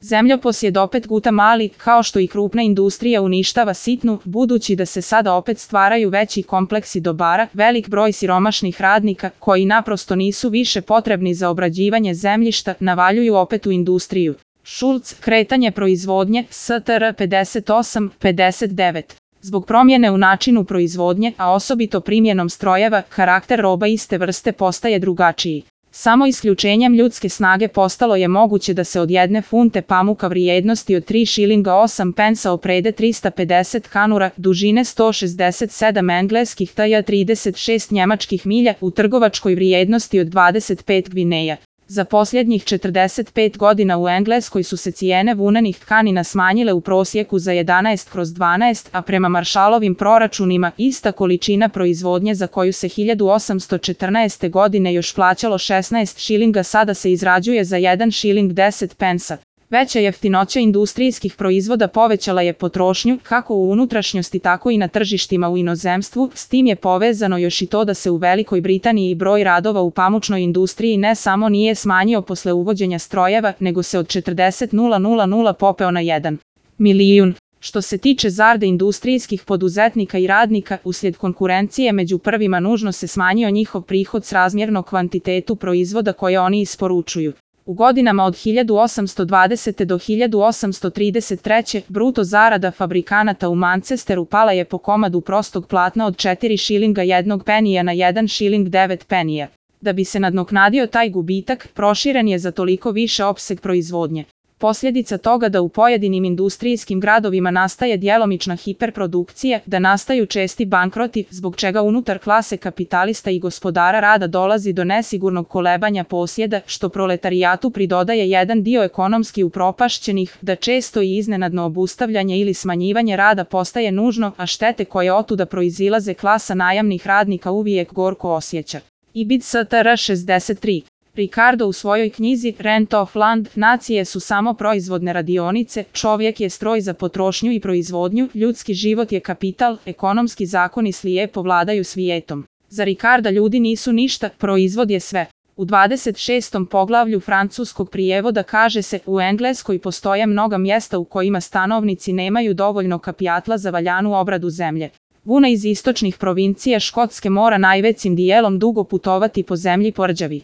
Zemljopos opet guta mali, kao što i krupna industrija uništava sitnu, budući da se sada opet stvaraju veći kompleksi dobara, velik broj siromašnih radnika, koji naprosto nisu više potrebni za obrađivanje zemljišta, navaljuju opet u industriju. Šulc, kretanje proizvodnje, STR 58-59. Zbog promjene u načinu proizvodnje, a osobito primjenom strojeva, karakter roba iste vrste postaje drugačiji. Samo isključenjem ljudske snage postalo je moguće da se od 1 funte pamuka vrijednosti od 3 šilinga 8 pensa oprede 350 kanura, dužine 167 engleskih tj. 36 njemačkih milja, u trgovačkoj vrijednosti od 25 gvineja. Za posljednjih 45 godina u Engleskoj su se cijene vunenih tkanina smanjile u prosjeku za 11/12, a prema Marshallovim proračunima ista količina proizvodnje za koju se 1814. godine još plaćalo 16 šilinga sada se izrađuje za 1 šiling 10 pensa. Veća jeftinoća industrijskih proizvoda povećala je potrošnju, kako u unutrašnjosti tako i na tržištima u inozemstvu, s tim je povezano još i to da se u Velikoj Britaniji broj radova u pamučnoj industriji ne samo nije smanjio posle uvođenja strojeva, nego se od 40.000 popeo na 1 milijun. Što se tiče zarade industrijskih poduzetnika i radnika, uslijed konkurencije među prvima nužno se smanjio njihov prihod srazmjerno kvantitetu proizvoda koje oni isporučuju. U godinama od 1820. do 1833. bruto zarada fabrikanata u Manchesteru pala je po komadu prostog platna od 4 šilinga 1 penija na 1 šiling 9 penija. Da bi se nadoknadio taj gubitak, proširen je za toliko više opseg proizvodnje. Posljedica toga da u pojedinim industrijskim gradovima nastaje djelomična hiperprodukcija, da nastaju česti bankroti, zbog čega unutar klase kapitalista i gospodara rada dolazi do nesigurnog kolebanja posjeda, što proletarijatu pridodaje jedan dio ekonomski upropašćenih, da često i iznenadno obustavljanje ili smanjivanje rada postaje nužno, a štete koje otuda proizilaze klasa najamnih radnika uvijek gorko osjeća. Ibid STR 63. Ricardo u svojoj knjizi Rent of Land, nacije su samo proizvodne radionice, čovjek je stroj za potrošnju i proizvodnju, ljudski život je kapital, ekonomski zakoni slijepo vladaju svijetom. Za Ricarda ljudi nisu ništa, proizvod je sve. U 26. poglavlju francuskog prijevoda kaže se, u Engleskoj postoje mnoga mjesta u kojima stanovnici nemaju dovoljno kapitala za valjanu obradu zemlje. Vuna iz istočnih provincija Škotske mora najvećim dijelom dugo putovati po zemlji po rđavi.